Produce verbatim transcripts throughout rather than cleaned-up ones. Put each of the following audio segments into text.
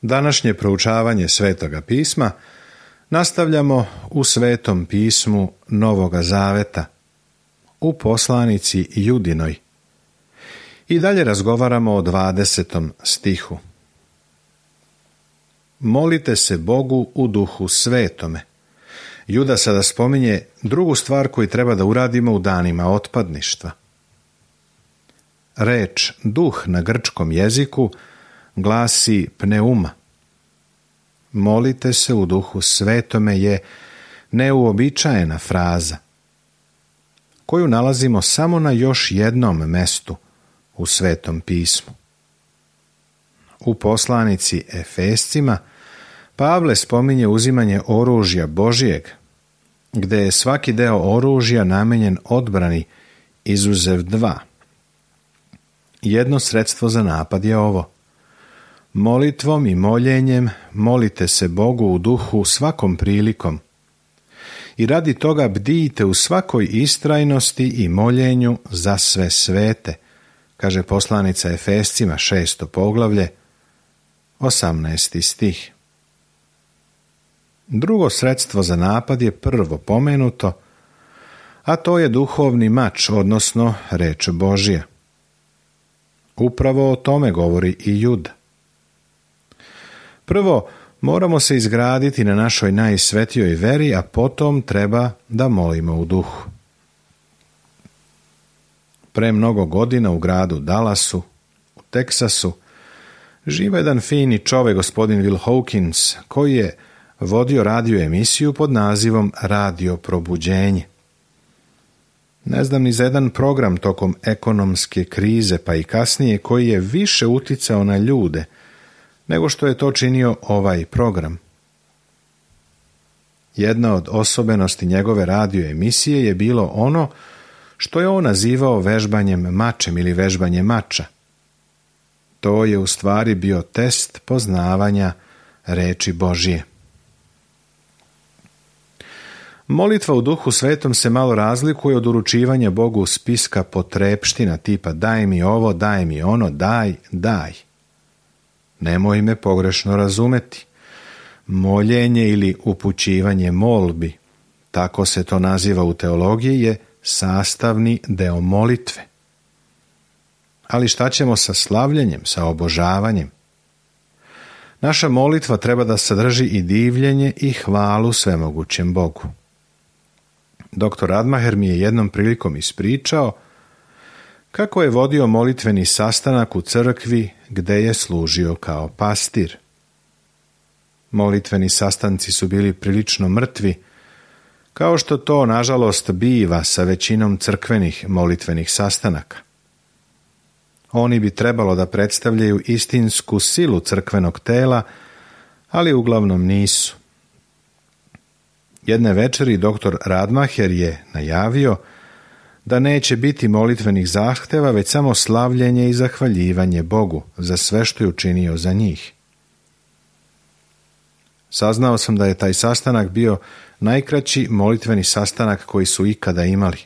Današnje proučavanje Svetoga pisma nastavljamo u Svetom pismu Novoga Zaveta, u poslanici Judinoj. I dalje razgovaramo o dvadesetom stihu. Molite se Bogu u duhu svetome. Juda sada spominje drugu stvar koju treba da uradimo u danima otpadništva. Reč duh na grčkom jeziku glasi pneuma. Molite se u duhu svetome je neuobičajena fraza, koju nalazimo samo na još jednom mestu u Svetom pismu. U poslanici Efescima Pavle spominje uzimanje oružja Božijeg, gde je svaki deo oružja namenjen odbrani izuzev dva. Jedno sredstvo za napad je ovo. Molitvom i moljenjem molite se Bogu u duhu svakom prilikom i radi toga bdijte u svakoj istrajnosti i moljenju za sve svete, kaže poslanica Efescima šesto poglavlje, osamnaesti stih. Drugo sredstvo za napad je prvo pomenuto, a to je duhovni mač, odnosno reč Božja. Upravo o tome govori i Juda. Prvo, moramo se izgraditi na našoj najsvetijoj veri, a potom treba da molimo u duhu. Pre mnogo godina u gradu Dallasu, u Teksasu, živa jedan fini čovek, gospodin Will Hawkins, koji je vodio radio emisiju pod nazivom Radio probuđenje. Ne znam ni za jedan program tokom ekonomske krize, pa i kasnije, koji je više uticao na ljude nego što je to činio ovaj program. Jedna od osobenosti njegove radio emisije je bilo ono što je on nazivao vežbanjem mačem ili vežbanje mača. To je u stvari bio test poznavanja reči Božije. Molitva u duhu svetom se malo razlikuje od uručivanja Bogu spiska potrepština tipa daj mi ovo, daj mi ono, daj, daj. Nemoj me pogrešno razumeti. Moljenje ili upućivanje molbi, tako se to naziva u teologiji, je sastavni deo molitve. Ali šta ćemo sa slavljenjem, sa obožavanjem? Naša molitva treba da sadrži i divljenje i hvalu svemogućem Bogu. Doktor Radmacher mi je jednom prilikom ispričao kako je vodio molitveni sastanak u crkvi gde je služio kao pastir. Molitveni sastanci su bili prilično mrtvi, kao što to, nažalost, biva sa većinom crkvenih molitvenih sastanaka. Oni bi trebalo da predstavljaju istinsku silu crkvenog tela, ali uglavnom nisu. Jedne večeri doktor Radmacher je najavio da neće biti molitvenih zahteva, već samo slavljenje i zahvaljivanje Bogu za sve što je učinio za njih. Saznao sam da je taj sastanak bio najkraći molitveni sastanak koji su ikada imali.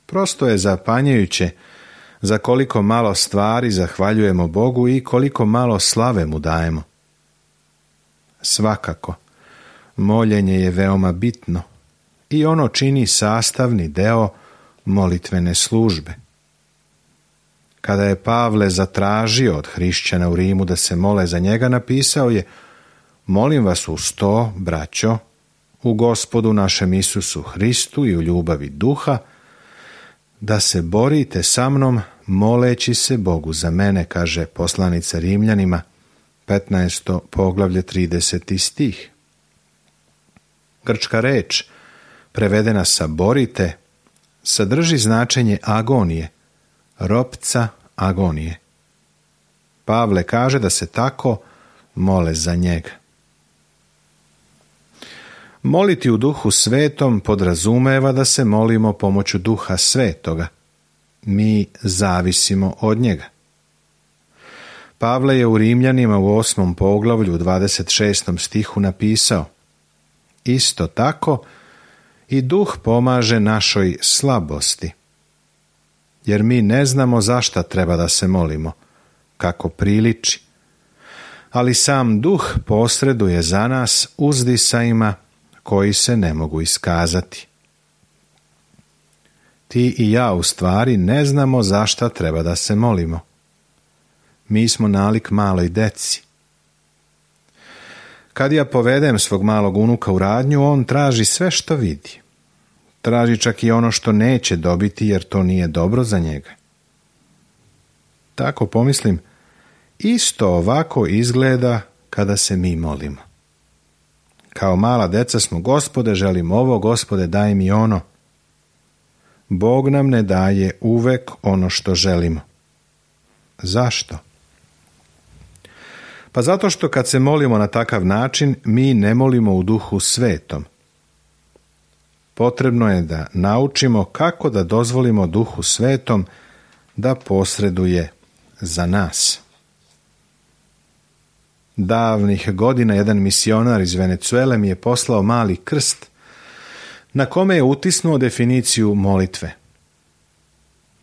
Prosto je zapanjujuće za koliko malo stvari zahvaljujemo Bogu i koliko malo slave mu dajemo. Svakako, moljenje je veoma bitno i ono čini sastavni deo molitvene službe. Kada je Pavle zatražio od hrišćana u Rimu da se mole za njega, napisao je: molim vas uz to, braćo, u Gospodu našem Isusu Hristu i u ljubavi duha, da se borite sa mnom moleći se Bogu za mene, kaže poslanica Rimljanima, petnaesto poglavlje, trideseti stih. Grčka reč, prevedena sa borite, sadrži značenje agonije, ropca agonije. Pavle kaže da se tako mole za njega. Moliti u duhu svetom podrazumeva da se molimo pomoću duha svetoga. Mi zavisimo od njega. Pavle je u Rimljanima u osmom poglavlju u dvadeset šestom stihu napisao: isto tako i duh pomaže našoj slabosti, jer mi ne znamo za šta treba da se molimo, kako priliči, ali sam duh posreduje za nas uzdisajima koji se ne mogu iskazati. Ti i ja u stvari ne znamo za šta treba da se molimo. Mi smo nalik maloj deci. Kad ja povedem svog malog unuka u radnju, on traži sve što vidi. Traži čak i ono što neće dobiti jer to nije dobro za njega. Tako pomislim, isto ovako izgleda kada se mi molimo. Kao mala deca smo, Gospode, želim ovo, Gospode, daj mi ono. Bog nam ne daje uvek ono što želimo. Zašto? Pa zato što kad se molimo na takav način, mi ne molimo u Duhu Svetom. Potrebno je da naučimo kako da dozvolimo Duhu Svetom da posreduje za nas. Davnih godina jedan misionar iz Venecuele mi je poslao mali krst na kome je utisnuo definiciju molitve.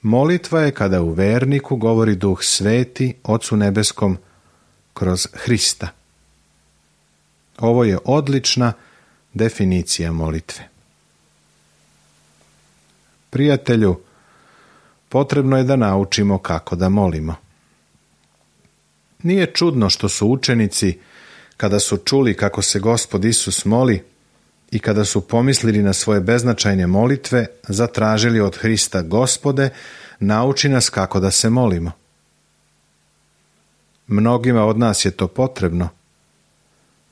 Molitva je kada u verniku govori Duh Sveti Ocu Nebeskom kroz Hrista. Ovo je odlična definicija molitve. Prijatelju, potrebno je da naučimo kako da molimo. Nije čudno što su učenici, kada su čuli kako se Gospod Isus moli i kada su pomislili na svoje beznačajne molitve, zatražili od Hrista: Gospode, nauči nas kako da se molimo. Mnogima od nas je to potrebno,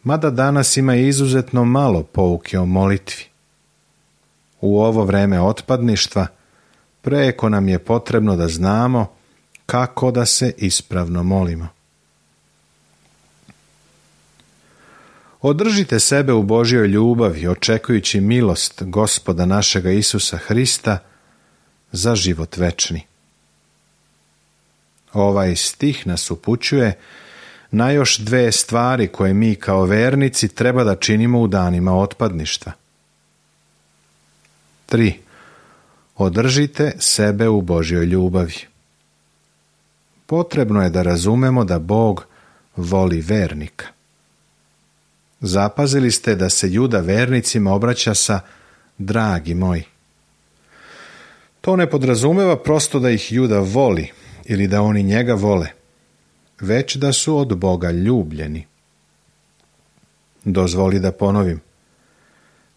mada danas ima izuzetno malo pouke o molitvi. U ovo vreme otpadništva preko nam je potrebno da znamo kako da se ispravno molimo. Održite sebe u Božjoj ljubavi, očekujući milost Gospoda našega Isusa Hrista za život večni. Ovaj stih nas upućuje na još dve stvari koje mi kao vernici treba da činimo u danima otpadništva. tri. Održite sebe u Božjoj ljubavi. Potrebno je da razumemo da Bog voli vernika. Zapazili ste da se Juda vernicima obraća sa dragi moji. To ne podrazumeva prosto da ih Juda voli ili da oni njega vole, već da su od Boga ljubljeni. Dozvoli da ponovim.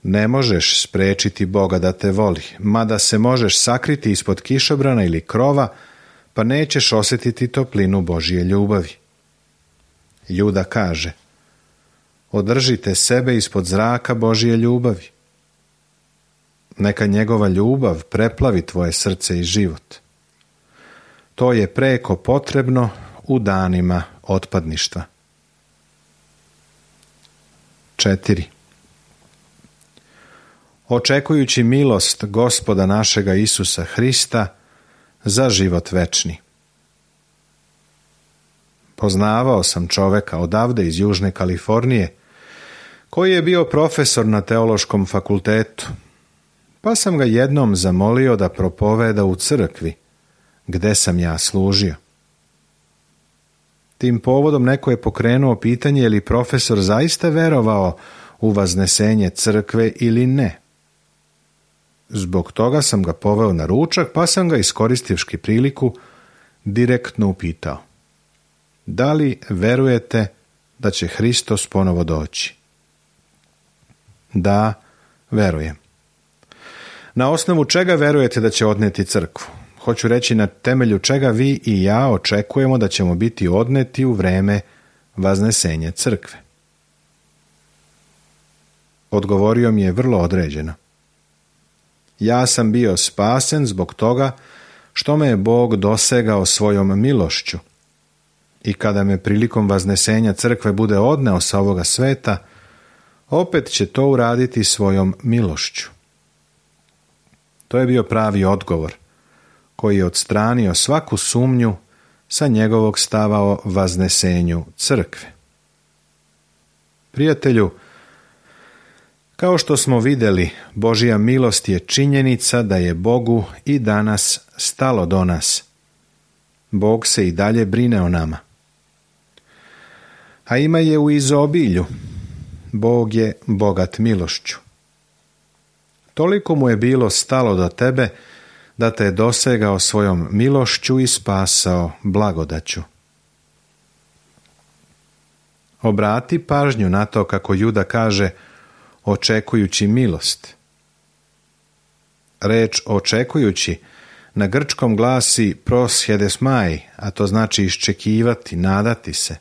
Ne možeš sprečiti Boga da te voli, mada se možeš sakriti ispod kišobrana ili krova, pa nećeš osjetiti toplinu Božje ljubavi. Juda kaže: održite sebe ispod zraka Božje ljubavi. Neka njegova ljubav preplavi tvoje srce i život. To je preko potrebno u danima otpadništva. četiri. Očekujući milost Gospoda našega Isusa Hrista za život večni. Poznavao sam čoveka odavde iz Južne Kalifornije, koji je bio profesor na teološkom fakultetu, pa sam ga jednom zamolio da propoveda u crkvi, gde sam ja služio. Tim povodom neko je pokrenuo pitanje je li profesor zaista verovao u vaznesenje crkve ili ne. Zbog toga sam ga poveo na ručak, pa sam ga, iskoristivši priliku, direktno upitao: da li verujete da će Hristos ponovo doći? Da, verujem. Na osnovu čega verujete da će odneti crkvu? Hoću reći, na temelju čega vi i ja očekujemo da ćemo biti odneti u vreme vaznesenja crkve. Odgovorio mi je vrlo određeno. Ja sam bio spasen zbog toga što me je Bog dosegao svojom milošću i kada me prilikom vaznesenja crkve bude odneo sa ovoga sveta, opet će to uraditi svojom milošću. To je bio pravi odgovor koji je odstranio svaku sumnju sa njegovog stava o vaznesenju crkve. Prijatelju, kao što smo vidjeli, Božja milost je činjenica da je Bogu i danas stalo do nas. Bog se i dalje brine o nama. a ima je u izobilju. Bog je bogat milošću. Toliko mu je bilo stalo do tebe da te je dosegao svojom milošću i spasao blagodaću. Obrati pažnju na to kako Juda kaže očekujući milost. Reč očekujući na grčkom glasi proshedesmai, a to znači iščekivati, nadati se.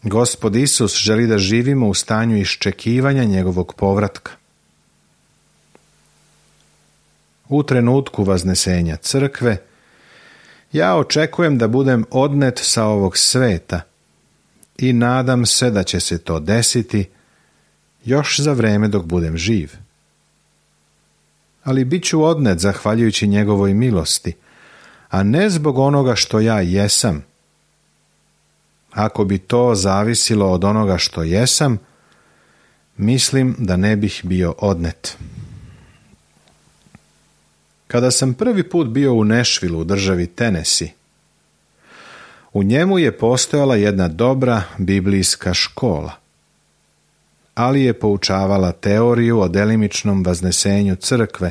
Gospod Isus želi da živimo u stanju iščekivanja njegovog povratka. U trenutku vaznesenja crkve ja očekujem da budem odnet sa ovog sveta i nadam se da će se to desiti još za vreme dok budem živ. Ali bit ću odnet zahvaljujući njegovoj milosti, a ne zbog onoga što ja jesam. Ako bi to zavisilo od onoga što jesam, mislim da ne bih bio odnet. Kada sam prvi put bio u Nashvilleu u državi Tennessee, u njemu je postojala jedna dobra biblijska škola, ali je poučavala teoriju o delimičnom vaznesenju crkve,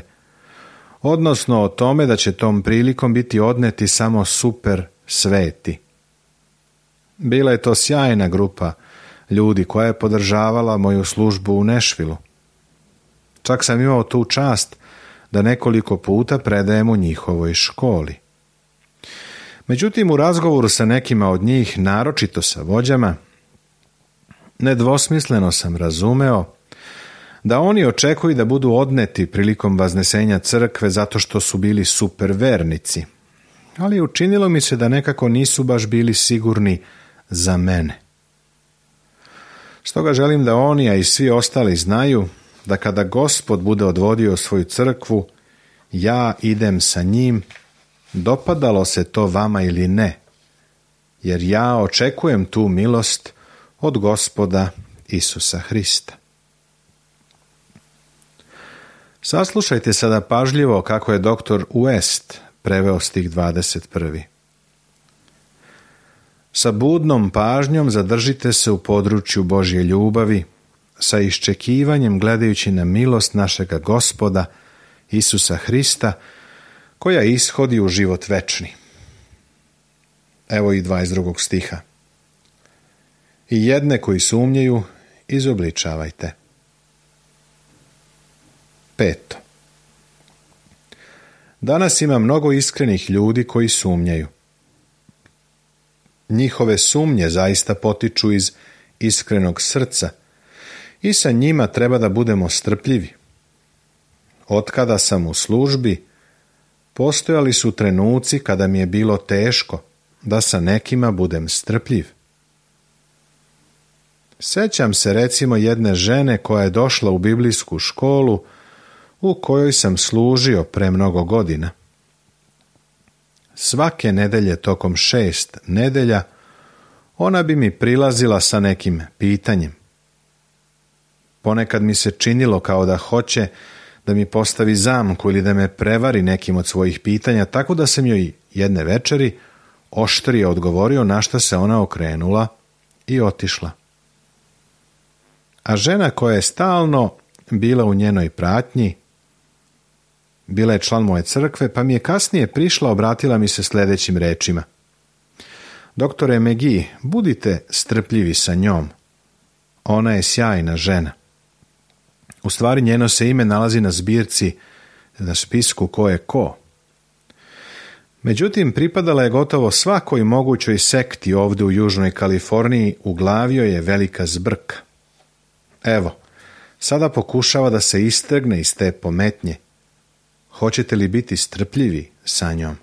odnosno o tome da će tom prilikom biti odneti samo super sveti. Bila je to sjajna grupa ljudi koja je podržavala moju službu u Nashvilleu. Čak sam imao tu čast da nekoliko puta predajem u njihovoj školi. Međutim, u razgovoru sa nekima od njih, naročito sa vođama, nedvosmisleno sam razumeo da oni očekuju da budu odneti prilikom vaznesenja crkve zato što su bili supervernici, ali učinilo mi se da nekako nisu baš bili sigurni za mene. Stoga želim da oni, a i svi ostali znaju da kada Gospod bude odvodio svoju crkvu, ja idem sa njim, dopadalo se to vama ili ne, jer ja očekujem tu milost od Gospoda Isusa Hrista. Saslušajte sada pažljivo kako je doktor West preveo stih dvadeset prvi. Sa budnom pažnjom zadržite se u području Božje ljubavi, sa iščekivanjem gledajući na milost našega Gospoda Isusa Hrista, koja ishodi u život večni. Evo i dvadeset drugog stiha. I jedne koji sumnjaju izobličavajte. Peto. Danas ima mnogo iskrenih ljudi koji sumnjaju. Njihove sumnje zaista potiču iz iskrenog srca i sa njima treba da budemo strpljivi. Otkada sam u službi, postojali su trenuci kada mi je bilo teško da sa nekima budem strpljiv. Sećam se recimo jedne žene koja je došla u biblijsku školu u kojoj sam služio pre mnogo godina. Svake nedelje tokom šest nedelja ona bi mi prilazila sa nekim pitanjem. Ponekad mi se činilo kao da hoće da mi postavi zamku ili da me prevari nekim od svojih pitanja, tako da sam joj jedne večeri oštrije odgovorio, na što se ona okrenula i otišla. A žena koja je stalno bila u njenoj pratnji, bila je član moje crkve, pa mi je kasnije prišla, obratila mi se sljedećim rečima. Doktore McGee, budite strpljivi sa njom. Ona je sjajna žena. U stvari njeno se ime nalazi na zbirci, na spisku ko je ko. Međutim, pripadala je gotovo svakoj mogućoj sekti ovdje u Južnoj Kaliforniji, u glavi joj je velika zbrka. Evo, sada pokušava da se istrgne iz te pometnje. Hoćete li biti strpljivi sa njom?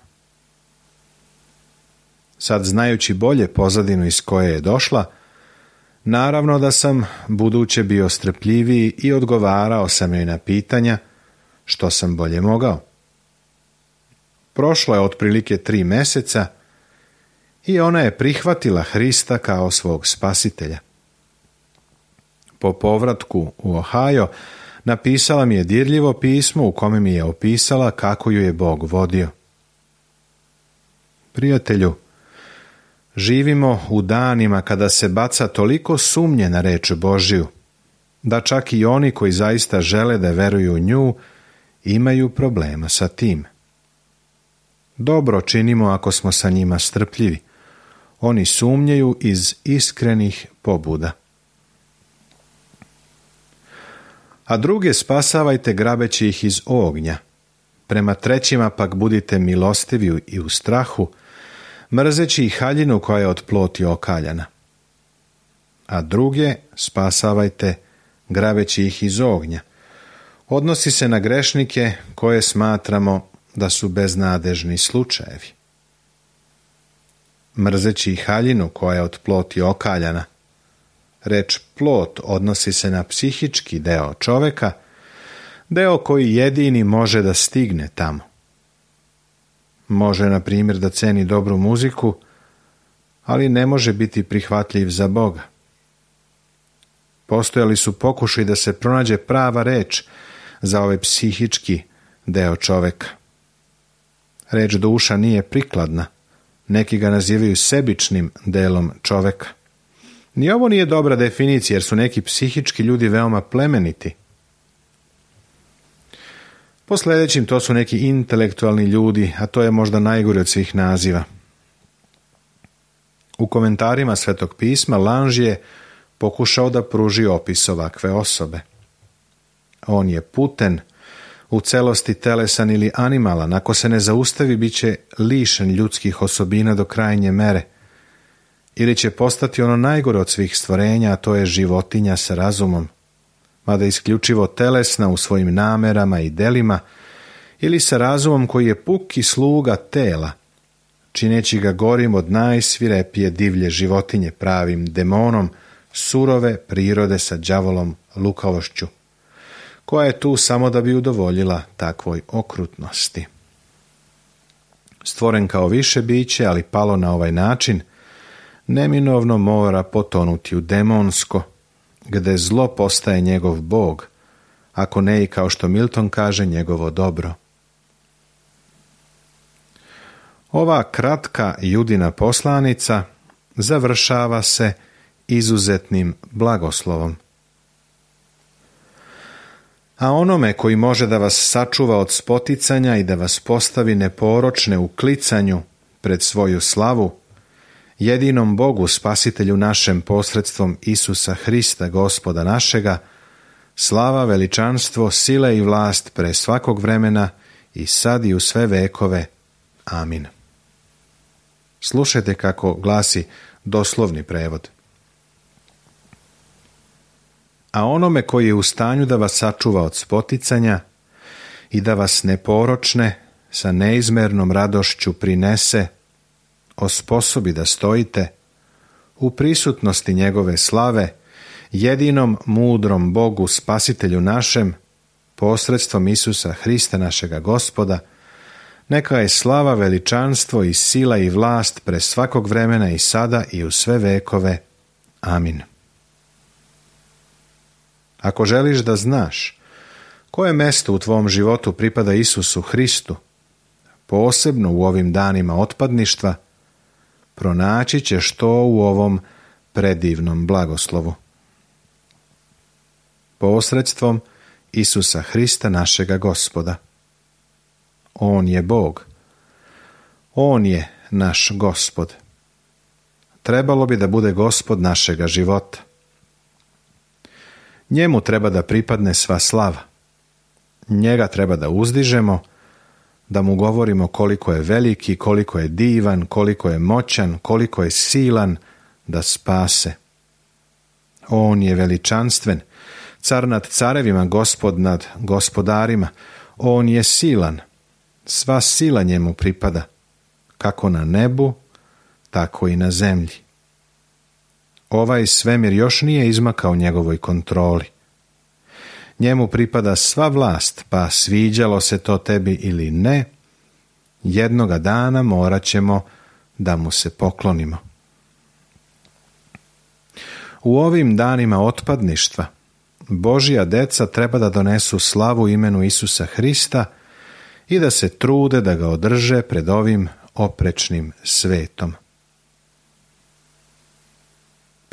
Sad, znajući bolje pozadinu iz koje je došla, naravno da sam buduće bio strpljiviji i odgovarao sam joj na pitanja što sam bolje mogao. Prošlo je otprilike tri meseca i ona je prihvatila Hrista kao svog spasitelja. Po povratku u Ohio napisala mi je dirljivo pismo u kome mi je opisala kako ju je Bog vodio. Prijatelju, Živimo u danima kada se baca toliko sumnje na reč Božju, da čak i oni koji zaista žele da veruju u nju imaju problema sa tim. Dobro činimo ako smo sa njima strpljivi. Oni sumnjaju iz iskrenih pobuda. A druge spasavajte grabeći ih iz ognja. Prema trećima pak budite milostivi i u strahu, mrzeći ih haljinu koja je od ploti okaljana. A druge spasavajte grabeći ih iz ognja. Odnosi se na grešnike koje smatramo da su beznadežni slučajevi. Mrzeći ih haljinu koja je od ploti okaljana. Reč plot odnosi se na psihički deo čoveka, deo koji jedini može da stigne tamo. Može, na primjer, da ceni dobru muziku, ali ne može biti prihvatljiv za Boga. Postojali su pokušaji da se pronađe prava reč za ovaj psihički deo čoveka. Reč duša nije prikladna. Neki ga nazivaju sebičnim delom čoveka. Ni ovo nije dobra definicija, jer su neki psihički ljudi veoma plemeniti. Po sljedećim to su neki intelektualni ljudi, a to je možda najgore od svih naziva. U komentarima Svetog pisma Lange je pokušao da pruži opis ovakve osobe. On je puten, u celosti telesan ili animalan. Ako se ne zaustavi, bit će lišen ljudskih osobina do krajnje mere. Ili će postati ono najgore od svih stvorenja, a to je životinja sa razumom, mada isključivo telesna u svojim namerama i delima, ili sa razumom koji je puki sluga tela, čineći ga gorim od najsvirepije divlje životinje, pravim demonom surove prirode sa đavolom lukavošću, koja je tu samo da bi udovoljila takvoj okrutnosti. Stvoren kao više biće, ali palo na ovaj način, neminovno mora potonuti u demonsko, gde zlo postaje njegov bog, ako ne i, kao što Milton kaže, njegovo dobro. Ova kratka Judina poslanica završava se izuzetnim blagoslovom. A onome koji može da vas sačuva od spoticanja i da vas postavi neporočne u klicanju pred svoju slavu, jedinom Bogu, Spasitelju našem, posredstvom Isusa Hrista, Gospoda našega, slava, veličanstvo, sila i vlast pre svakog vremena i sad i u sve vekove. Amin. Slušajte kako glasi doslovni prevod. A onome koji je u stanju da vas sačuva od spoticanja i da vas neporočne sa neizmernom radošću prinese, osposobi da stojite u prisutnosti njegove slave, jedinom mudrom Bogu, Spasitelju našem, posredstvom Isusa Hrista našega Gospoda, neka je slava, veličanstvo i sila i vlast pre svakog vremena i sada i u sve vekove. Amin. Ako želiš da znaš koje mesto u tvom životu pripada Isusu Hristu, posebno u ovim danima otpadništva, pronaći ćeš to u ovom predivnom blagoslovu. Posredstvom Isusa Hrista našega Gospoda. On je Bog. On je naš Gospod. Trebalo bi da bude Gospod našega života. Njemu treba da pripadne sva slava. Njega treba da uzdižemo, da mu govorimo koliko je veliki, koliko je divan, koliko je moćan, koliko je silan da spase. On je veličanstven, car nad carevima, Gospod nad gospodarima. On je silan, sva sila njemu pripada, kako na nebu, tako i na zemlji. Ovaj svemir još nije izmakao njegovoj kontroli. Njemu pripada sva vlast, pa sviđalo se to tebi ili ne, jednoga dana morat ćemo da mu se poklonimo. U ovim danima otpadništva Božja deca treba da donesu slavu imenu Isusa Hrista i da se trude da ga održe pred ovim oprečnim svetom.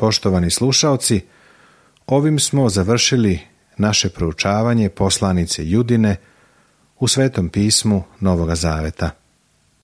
poštovani slušaoci, ovim smo završili naše proučavanje poslanice Judine u Svetom pismu Novoga Zaveta.